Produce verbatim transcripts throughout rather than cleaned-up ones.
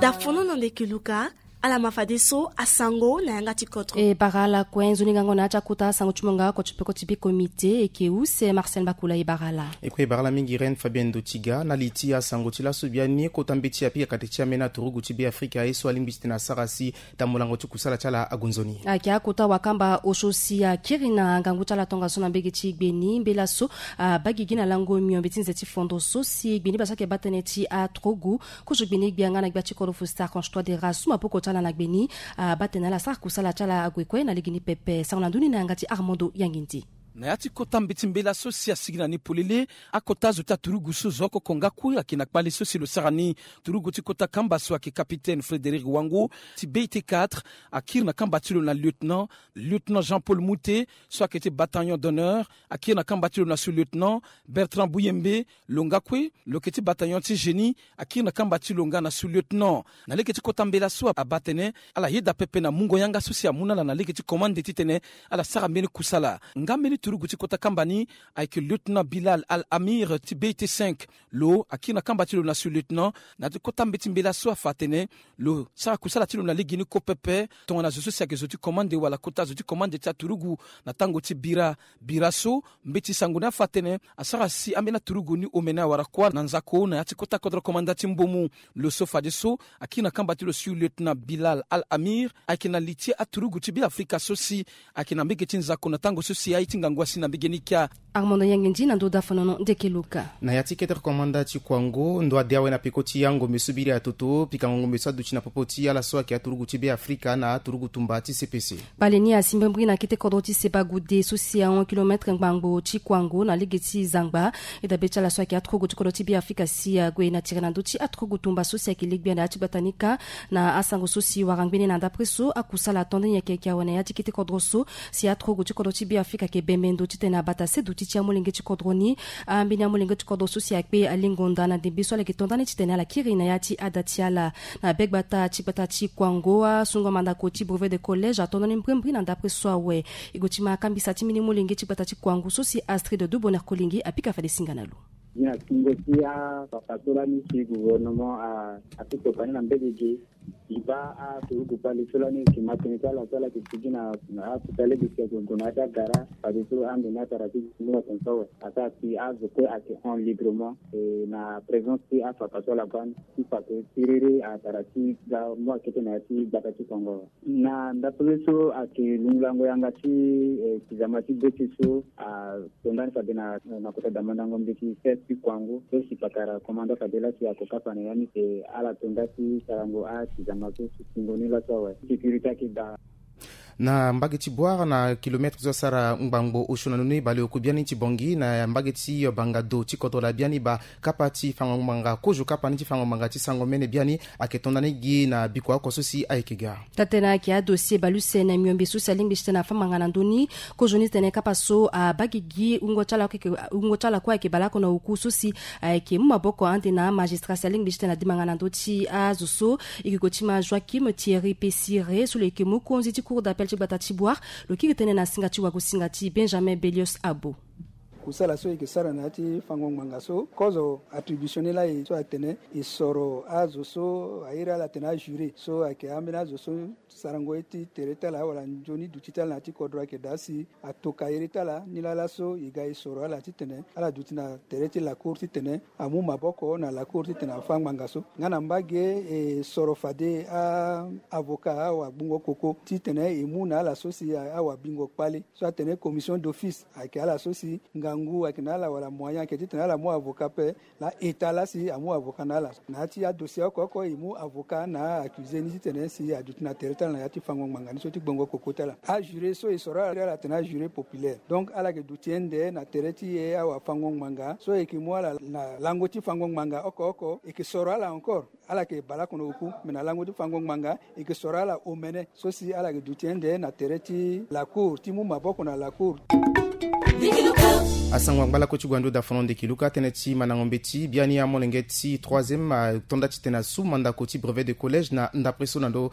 Dafono na ndeke luka. Ala ma fadeso asango na yanga ti kodro. E bara ala kue, nzoni ngango na ya ti akota asango ti mungo oko ti peko ti be komite eke use Marcel Bakula. E bara ala. E kue e bara ala mingi Reine Fabienne Dotiga na li ti asango ti laso biani. Kota mbeti apika kate ti ambeni aturugu ti be Afrika aye so alingbi ti tene asara si tambolango ti kusala ti ala ague nzoni. Ayeke akota wakamba osio si akiri na ngangu ti ala tongaso na mbege ti gbe ni. Mbela so abagigi na lango miombe ti nze ti fondo so si gbe ni basa ayeke baa tënë ti aturugu. Kozo gbe ni gbia nga na gbia ti kodro Faustin Archange Touadéra asu maboko ti ala na gbe ni. Abaa tënë ala sara kusala ti ala ague kue na lege ni pepe. Sango na ndoni na yanga ti Armando Yangindi. Na ya ti kota mbeti mbela so si asigi na ni polele, akota zo ti aturugu so zo oko oko nga kue ayeke na kpale so si lo sara ni. Turugu ti kota kamba so ayeke capitaine Frédéric Wango ti B I T quatre, akiri na kamba ti lo na lieutenant, lieutenant Jean-Paul Moute so ayeke ti bataillon d'honneur, akiri na kamba ti lo na sous-lieutenant Bertrand Bouyembe. Lo nga kue lo yeke ti bataillon ti génie, akiri na kamba ti lo nga na sous-lieutenant. Na lege ti kota mbela so abaa tënë ala yeda pepe na mungo yanga so si amu na ala na lege ti commande titene ala sara mbeni kusala. Nga mbeni turugu ti kota kamba ni ayeke lieutenant Bilal Al Amir ti B I T cinq. Lo akiri na kamba ti lo na sous-lieutenant. Na ya ti kota mbeti mbela so afa atene lo sara kusala ti lo na lege ni kue pepe tongana zo so si ayeke zo ti commande wala kota zo ti commande ti aturugu na tango ti bira. Bira so mbeti sango ni afa atene asara si ambeni aturugu ni omene awara kuâ na nzako na ya ti kota kodro komanda ti Mbomu. Lo so fadeso akiri na kamba ti lo sous-lieutenant Bilal Al Amir ayeke na li ti aturugu ti Beafrika so si ayeke na mbege ti nzako na tango so si aye ti ngangu asi na mbege ni kia. Armando Yangindi na ndo dafanono ndeke luka. Na ya ti kete komanda ti Kwango, ndo ade awe na peko ti angombe so biri atoto pikango ngombe so aduti na popo ti ala so ayeke aturugu ti Beafrika na aturugu tumba ti C P C. Bale ni asi mbirimbiri na kete kodro ti Sebagude so si ahon kilometre ngbangbo ti Kwango na lege ti zangba. E dabe ti ala so ayeke aturugu ti kodro ti Beafrika si ague na tere na ndö ti aturugu tumba so si ayeke legbia na ya ti gbata ni kâ. Na asango so si wara ngbene na ndapre so akusala ato nde ni ayeke yeke awe na ya ti kete kodro so si aturugu ti kodro ti Beafrika ayeke bembe ndo titene abata se duti ti amolenge ti kodro ni. Ambeni amolenge ti kodro so si akpe alingo nda na ndembe so ala yeke to nda ni titene ala kiri na ya ti ada ti ala. Na be gbata ti gbata ti Kwango, asungo mandako ti brevet de collège ato nda ni mbirimbiri na ndapre so awe. E gue ti ma akambisa ti mbeni molenge ti gbata ti Kwango so si Astrid Duboner Kolingi apika fade singa na lo. Gi na singo ti afafa so lani si gouvernement a- asi toka ni na mbege ge. Gi baa aturugu kpale so lani yeke ma tënë ti ala so ala yeke sigi na na akota lege si ayeke gue na ya ti agara fadeso ande ni atara ti gi ni atene so awe asara si azo kue ayeke hon librement. E na présence ti afafa so ala baa ni ti fa tënë ti rere atara ti ga mu akete na ya ti gbata ti Kwango. Na ndapre so ayeke lungulango yanga ti eh, tizama ti be ti so ato ndani fade na na kota damandango mbeti sese ti Kwango so si pakara komanda fade lasi ako kapa na ya ni si ala to nda ti sarango atizama so si singo ni laso awe sécurité ayeke daa. Na mbage ti Bouar na kilometre so asara ngbangbo osio na ndoni baleoko biani ti Bangui na mbage ti Bangado ti kodro laa biani baa kapa ti fango ngbanga kozo kapa ni ti fango ngbanga ti sango mene biani ayeke to nda ni gi na bikua oko so si ayeke ga. Taa-tënë ayeke adossier baleuse na miombe so si alingbi ti tene afâ ngbanga na ndö ni. Kozoni tene kapa so abaa gigi wungo ti ala kue ayeke baleoko na oku so si ayeke mu maboko ande na amagistrat si alingbi ti tene adi ngbanga na ndö ti azo so. E yeke gue ti ma Joachim Thierry Pessire so lo yeke mokonzi ti cour d'appel ti gbata ti Bouar. Lo kiri tënë na singa ti wagosinga ti Benjamin Belios Abo. Kusala so e yeke sara na ya ti fango ngbanga so kozo attribution ni laa e so atene e soro azo so a iri ala atene ajuré so ayeke ambeni azo so sarango ye ti tere ti ala wala nzoni duti ti ala na ya ti kodro ayeke daa si atoka iri ti ala ni laa laso e ga e soro ala titene ala duti na tere ti lacour titene amu maboko na lacour titene afâ ngbanga so. Nga na mbage e soro fade a avocat awagbingo koko titene e mu na ala so si awabingo kpale so atene commission d'office ayeke ala so si ngangu ayeke na ala wala moyen ayeke titene ala mu avocat pe. Na état lasi amu avocat na ala na ya ti adossier oko oko e mu avocat na accusé ni titene si aduti na tere ti ala na ya ti fango ngbanga ni so ti gbongo koko ti ala. Ajuré so e soro ala ala atene ajuré populaire donc ala yeke duti ende na tere ti e awafango ngbanga so e yeke mu ala na lango ti fango ngbanga oko oko e yeke soro ala encore. Ala yeke baleoko na oku me na lango ti fango ngbanga e yeke soro ala omene so si ala yeke duti ende na tere ti lacour ti mu maboko na lacour. Asango angba lakue ti gue na ndo dafono ndeki luka tënë ti mandango mbeti biani amolenge ti troisième atonda titene asu mandako ti brevet de collège na ndapre so na ndo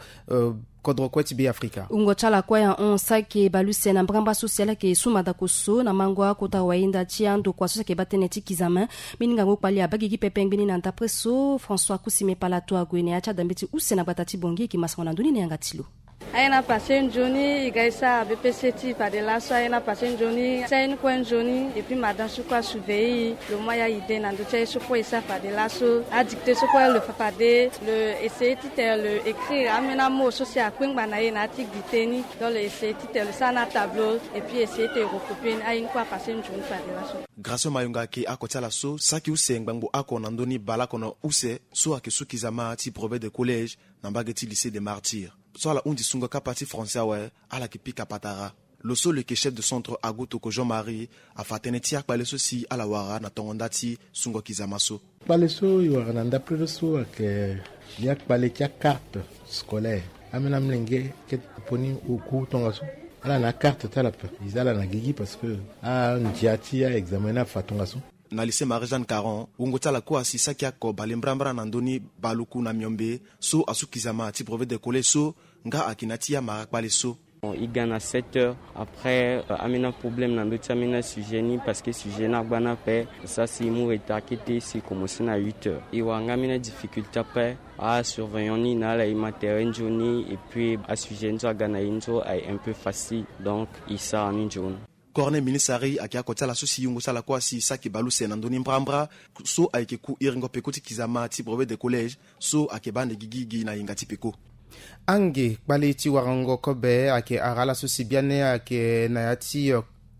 kodro kue ti be afrika. Wungo ti ala kue ahon saki baleuse na mbrambra so si ala yeke su mandako so na mango akota wayenda ti andokua so si ayeke baa tënë ti kizama. Mbeni ngangu kpali abaa gigi pepe ngbeni na ndapre so françois kusime palato ague na ya ti adambe ti use na gbata ti bongi eke masango na ndoni na yanga ti lo. Aye na pase nzoni e ga e sara bpc ti e fade laso aye na pase nzoni ti aye ni kue nzoni. Epui madame so kue asurveille e lo mu aya ide na ndö ti aye so kue e sara fade laso adicte so kue lo fa fade lo essaye titene lo écrire ambeni amo so si akue ngba na ye na ya ti gi te ni. Donc lo essaye titene lo sara na tableau epui essaye titene lo recopie ni aye ni kue apase nzoni fade laso. Grâce mayonga ayeke ako ti ala so saki use ngbangbo ako na ndö ni baleoko na use so ayeke su kizama ti brevet de collège na mbage ti lycée de martyrs. So ala hundi sungo kapa ti français awe ala yeke pika patara. Lo so lo yeke chef de centre agu toko jean marie afa tënë ti akpale so si ala wara na tongo nda ti sungo kizama so. Kpale so e wara na ndapre lo so ayeke ya kpale ti akarte scolaire. Ambeni amolenge kete popo ni oku tongaso ala na akarte ti ala pe e za ala na gigi parce que andia ti aexamen ni afa tongaso. Na lycée marie jeanne caron wungo ti ala kue asi saki ako bale mbrambra na ndö ni baluku na miombe so asu kizama ti brevet de collège so nga ayeke na ya ti amara kpale so. E ga na sept heures après ambeni aproblème na ndö ti ambeni asujet ni parce que sujet ni agba ni ape. Sara si e mu retard kete si e komense na huit heures e wara nga ambeni adifficulté ape. Asurveillant ni na ala e ma tere nzoni epui asujet ni so aga na e ni so aye un peu facile donc e sara ni nzoni. Corneille minisari ayeke ako ti ala so si yungo ti ala kue asi saki baleuse na ndö ni mbrambra so ayeke ku iringo peko ti kizama ti brevet de collège so ayeke baa ande gigi gi na yenga ti peko. Ange kpale ti warango kobe ayeke ara ala so si biani ayeke na ya ti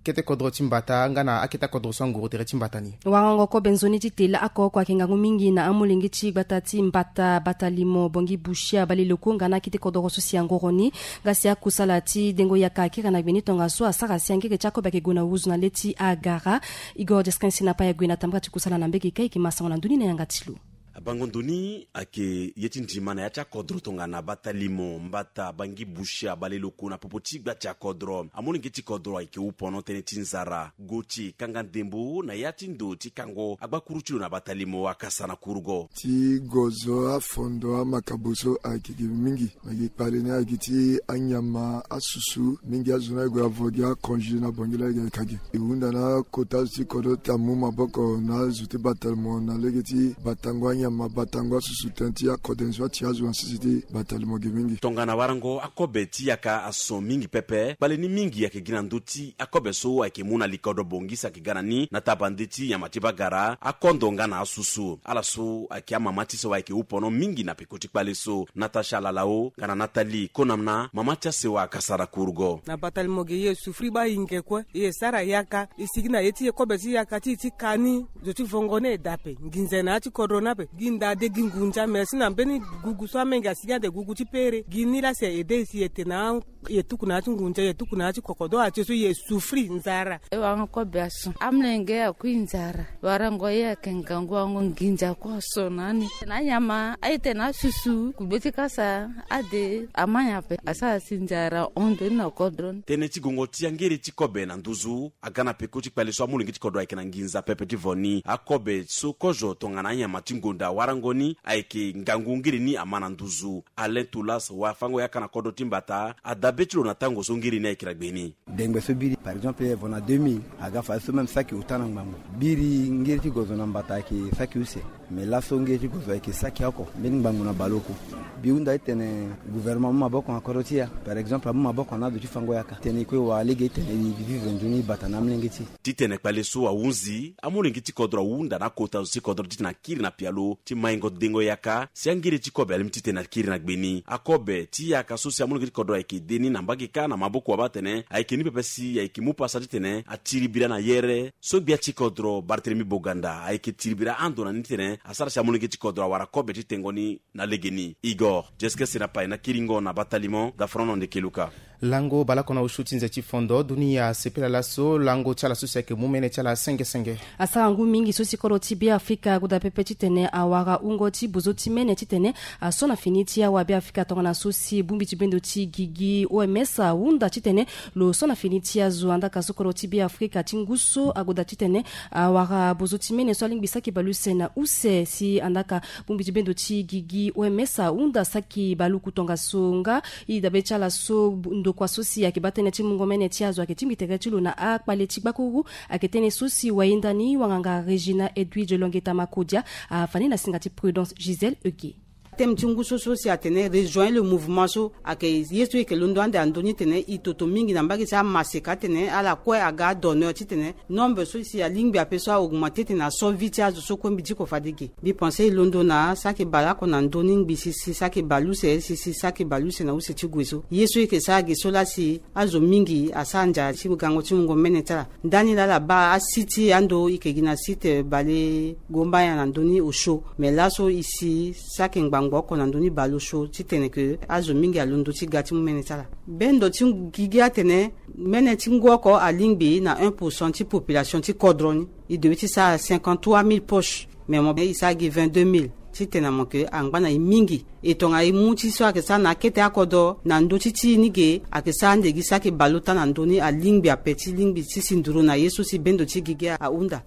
kete kodro ti mbata nga na akete akodro so anguru tere ti mbata ni. Warango kobe nzoni ti tela ako oko ayeke ngangu mingi na amolenge ti gbata ti mbata batalimo bongi bushia baleiloko nga na akete kodro so si angoro ni. Nga si akusala ti dengo yaka akiri na gbe ni tongaso asara si angere ti akobe ayeke gue na wuzu na le ti agara. Igor deskin si na pai ague na tambara ti kusala na mbege kai eke masango na ndoni na yanga ti lo. Abango ndo ni ayeke ye ti ndima na ya ti akodro tongana batalimo mbata bangi bushia baleiloko na popo ti gba ti akodro amolenge ti kodro ayeke wu pono tënë ti nzara go ti kanga ndembo na ya ti ndo ti kango agbakuru ti lo na batalimo akasa na kurugo. Ti gozo afondo amakabo so ayeke ge mingi. Ayeke kpale ni ayeke ti anyama asusu mingi azo ni aye gue avo gi akonge na bongi laa ayeke ka ge. E hunda na akota azo ti kodro ti amu maboko na azo ti batalimo na lege ti batango anyama batango asusu tënë ti akode ni so ati azo na sese ti batalimo ge mingi. Tongana warango akobe ti yaka ason mingi pepe kpale ni mingi ayeke gi na ndö ti akobe so ayeke mu na likodro bongi si ayeke ga na ni na tabande ti nyama ti bagara akondo nga na asusu ala so ayeke amama ti so ayeke wu pono mingi na peko ti kpale so. Natasha lalao nga na natali konamna mama ti asewa akasara kurugo. Na batalimo ge ye e sufri baa inge kue e ye sara yaka e sigi na ye ti ye kobe ti yaka ti e ti ka ni. Zo ti vongo ni e daa ape nginza e na ya ti kodro ni ape gi nda de gi ngunza me si na mbeni gugu so amenge asigi ande gugu ti pere gi ni laa si e ede e si e te na ye tuku na ya ti ngunza ye tuku na ya ti kokodo atie so ye sufri nzara. E wara kobe ason amolenge akui nzara. Warango ye ayeke ngangu wango nginza kue ason na ni na anyama aye tene asusu kugbe ti kasa ade amanya ape asara si nzara hon ndo ni na kodro ni. Tënë ti gongo ti angere ti kobe na nduzu aga na peko ti kpale so amolenge ti kodro ayeke na nginza pepe ti vo ni akobe so kozo tongana anyama ti ngonda warango ni ayeke ngangu ngiri ni ama na nduzu. Alain tulas wafango yaka na kodro ti mbata adabe ti lo na tango so ngiri ni ayeke na gbe ni. Dengbe so biri par exemple evo na deux mille aga fade so même saki ota na ngbangbo. Biri ngiri ti gozo na mbata ayeke saki use. Mais laso ngiri ti gozo ayeke saki oko mbeni ngbangbo na baleoko. Bi hunda ti tene gouvernement amu maboko na kodro ti ya par exemple amu maboko na ado ti fango yaka tene e kue wara lege ti tene e vivre nzoni bata na amolenge ti e. Titene kpale so ahunzi amolenge ti kodro ahunda na akota zo ti kodro titene akiri na pialo ti maingo dengo yaka si angere ti kobe alingbi titene akiri na gbe ni akobe ti yaka so si amolenge ti kodro ayeke de ni na mbage kâ na maboko wabâ atene ayeke ni pepe si ayeke mu pasa titene atiri bira na yere so gbia ti kodro bartelemi boganda ayeke tiri bira ando na ni titene asara si amolenge ti kodro awara kobe ti tengo ni. Na legeni igor dieskese na pai na kiringo na batalimo dafrono ndeke luka. Lango baleoko na osio ti nze ti fondo dunia asepela laso lango ti ala so si ayeke mu mene ti ala senge senge. Asara ngu mingi so si kodro ti Beafrika agoda pepe titene awara wungo ti bozo ti mene titene aso na fini ti awa Beafrika tongana so si bongbi ti bendo ti gigi O M S ahunda titene lo so na fini ti azo. Andaka so kodro ti Beafrika ti ngu so agoda titene awara bozo ti mene so alingbi saki baleuse na use si andaka bongbi ti bendo ti gigi O M S ahunda saki baluku tongaso nga. E dabe ti ala so ndokua so si ayeke baa tënë ti mungo mene ti azo ayeke tingbi tere ti lo na akpale ti gbakuru. Ayeke tënë so si wayenda ni wanganga Regina Edwige Longeta Makodia afa ni na singa ti Prudence Gisèle Ege. Thème ti ngu so so si atene rejoindre le mouvement so ayeke ye so e yeke londo ande na ndö ni titene e toto mingi na mbage ti amaseka atene ala kue aga adonneur titene nombre so si alingbi ape so a-augmenter titene aso vie ti azo so kue mbi diko fade ge. Mbi pense e londo na saki baleoko na ndö ni ngbi si si saki baleuse si si saki baleuse na use ti gue so ye so e yeke sara ge so laa si azo mingi asara nzara ti gango ti mungo mene ti ala. Ndani laa ala baa asite ando e yeke gi na site bale gombaya na ndö ni osio. Me laso e si saki ngbangbo oko na ndö ni baleosio titene ke azo mingi alondo ti ga ti mu mene ti ala. Bendo ti gigi atene mene ti ngu oko alingbi na un pour cent ti population ti kodro ni. E debe ti sara cinquante-trois mille poches. Me mo e sara gi vingt-deux mille titene mo yeke angba na e mingi. E tongana e mu ti so ayeke sara na akete akodro na ndö ti ti e ni ge ayeke sara ande gi saki baleota na ndö ni alingbi ape ti lingbi ti si nduru na ye so si bendo ti gigi ahunda.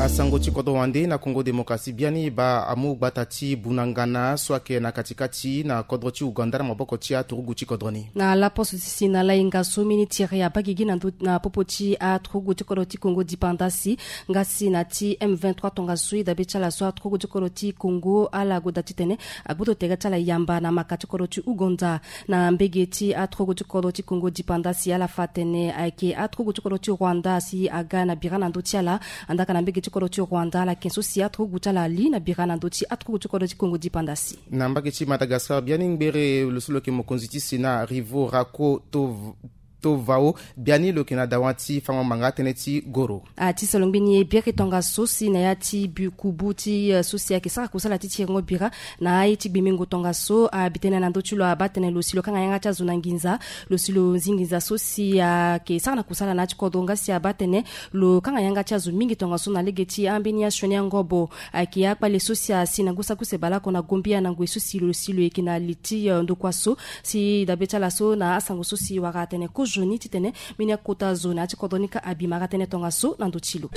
Asango ti kodro wande na Congo Démocratie biani e baa amu gbata ti bunangana so ayeke na katikati na kodro ti Ouganda na maboko ti aturugu ti kodro ni. Na laposo ti si na lainga so mini tiri abaa gigi na ndö na popo ti aturugu ti kodro ti Congo Dipandasi. Nga si na ti M vingt-trois tongaso e dabe ti ala so aturugu ti kodro ti Congo ala goda titene agboto tere ti ala yamba na maka ti kodro ti Ouganda. Na mbege ti aturugu ti kodro ti Congo Dipandasi ala fa atene ayeke aturugu ti kodro ti Rwanda si aga na bira na ndö ti ala. Andaka na mbege ti kodro ti Rwanda ala yeke so si aturugu ti ala ali na bira na ndö ti aturugu ti kodro ti Congo Dipandasi. Na mbage ti Madagascar biani ngbere lo so lo yeke mokonzi ti Sénat Rivo Rako Tov- Tovao biani lo yeke na dawa ti fango manga tënë ti goro. A ti solo ngbeni e biri tongaso si na ya ti bi kubu ti eh, so si ayeke sara kusala ti tiringo bira na aye ti gbemengo tongaso abi tënë na ndö ti lo abaa tënë lo si lo kanga yanga ti azo na nginza. Lo si lo zi nginza so si ayeke sara na kusala na ya ti kodro nga si abaa tënë lo kanga yanga ti azo mingi tongaso na lege ti ambeni asioni angobo. Ayeke akpale so si asi na ngu saki use baleoko na Gombia na ngoi so si lo si lo yeke na li ti eh, ndokua so. Si dabe ti ala so na asango so si wara atene kozoni titene mbeni akota zo na ya ti kodro ni ka abi mara tënë tongaso na ndö ti lo.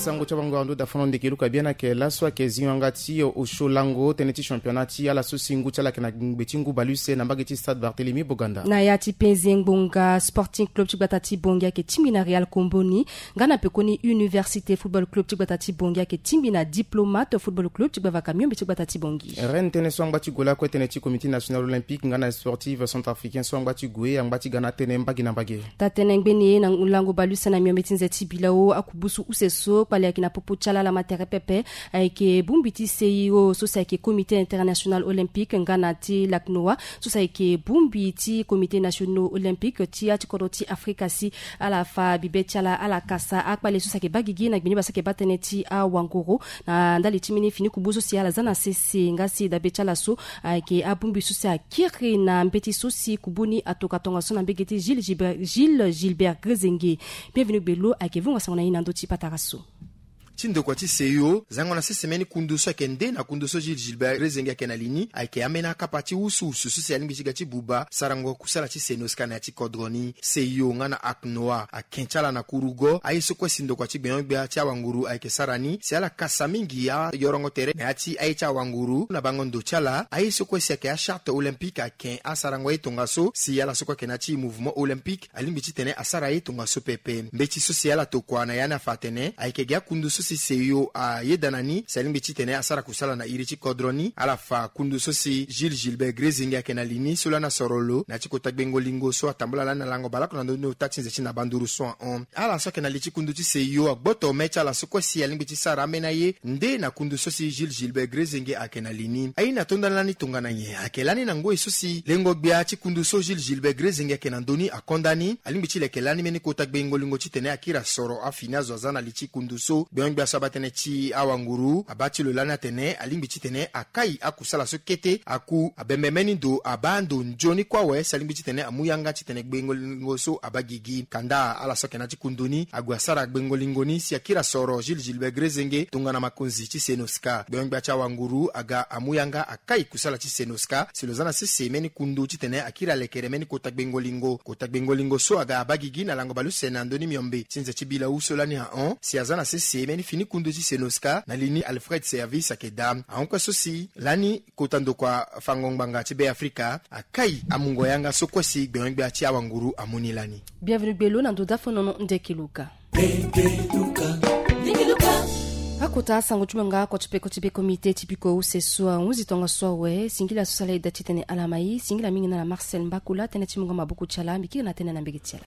Sango ti abango ando dafono ndeke luka biani ayeke laso ayeke zingo yanga ti osio lango tënë ti championnat ti ala so si ngu ti ala ayeke na ngbe ti ngu baleuse na mbage ti Stade Barthélemy Boganda. Na ya ti penze ngbonga Sporting Club ti gbata ti Bangui ayeke tingbi na Real Comboni. Nga na pekoni Université Football Club ti gbata ti Bangui ayeke tingbi na Diplomate Football Club ti gbavaka miombe ti gbata ti Bangui. Rennes tënë so angba ti gue lakue tënë ti Comité National Olympique nga na Sportif Centrafricain so angba ti gue angba ti ga na tënë mbage na mbage. Taa-tënë ngbeni e na lango baleuse na miombe ti nze ti bilao akubusu use so kpale ayeke na popo ti ala ala ma tere pepe. Ayeke bongbi ti C I O so si ayeke Comité International Olympique nga na ti laknoa so si ayeke bongbi ti Comité National Olympique ti ya ti kodro ti Afrika si ala fa bibe ti ala ala kasa akpale so si ayeke baa gigi na gbe ni baa so ayeke baa tënë ti awangoro. Na ndali ti mbeni fini kubu so si ala za na sese nga si dabe ti ala so ayeke abongbi so si akiri na mbeti so si kubu ni atoka tongaso na mbege ti Gilles Gilbert, Gilles Gilbert Grezenge. Bienvenu Gbelo ayeke vongo sango na ye na ndö ti patara so. Ti ndokua ti C I O zango na sese mbeni kundu so ayeke nde na kundu so Gilles Gilbert Grezenge ayeke na li ni ayeke ambeni akapa ti wusuwusu so si alingbi ti ga ti buba sarango kusala ti senoska na ya ti kodro ni. C I O nga na aknoa ake ti ala na kurugo aye so kue si ndokua ti gbenyo-gbia ti awanguru ayeke sara ni si ala kasa mingi ayorongo tere na ya ti aye ti awanguru na bango ndo ti ala aye so kue si ayeke acharte olympique ake asarango ye tongaso si ala so kue ayeke na ya ti mouvement olympique alingbi titene asara ye tongaso pepe. Mbeti so si ala tokua na ya ni afa atene ayeke gi akundu so si C I O ayeda na ni si alingbi titene asara kusala na iri ti kodro ni. Ala fa kundu so si Gilles Gilbert Grezenge ayeke na li ni so lani asoro lo na ya ti kota gbengo lingo so atambula lani na lango baleoko na ndö ni ota ti nze ti na banduru so ahon. Ala so ayeke na li ti kundu ti C I O agboto me ti ala so kue si alingbi ti sara ambeni aye nde na kundu so si Gilles Gilbert Grezenge ayeke na li ni. Aye ni atonda lani tongana nyen? Ayeke lani na ngoi so si lengo-gbia ti kundu so Gilles Gilbert Grezenge ayeke na ndö ni akonda ni alingbi ti leke lani mbeni kota gbengo lingo titene akiri asoro afini azo aza na li ti kundu so gbenyo Aso aba tënë ti awanguru aba ti lo lani atene alingbi titene akai akusala so kete aku abembe mbeni ndo aba ndo nzoni kue awe si alingbi titene amu yanga titene gbengo lingo so aba gigi. Kanda ala so ayeke na ya ti kundu ni ague asara gbengo lingo ni si akiri asoro Jules Gilbert Grezenge tongana makonzi ti Senoska. Gbengo-gbia ti awanguru aga amu yanga akai kusala ti Senoska si lo za na sese mbeni kundu titene akiri alekere mbeni kota gbengo lingo. Kota gbengo lingo so aga aba gigi na lango baleuse na ndö ni miombe ti nze ti bilau so lani ahon si aza na sese mbeni fini kundu ti Senoska na li ni Alfred Service ayeke daa. Ahon kue so si lani kota ndokua fango ngbanga ti Beafrika akai amungo yanga so kue si gbengo-gbia ti awanguru amu ni lani. Bienvenu gbelo na ndo dafo nono ndeki luka. Akota asango ti mo nga oko ti peko ti be komite ti piko use so ahunzi tongaso awe singila so sala eda titene ala mai singila mingi na ala Marcel Mbakula tënë ti mo nga mabuku ti ala mbi kiri na tënë na mbege ti ala.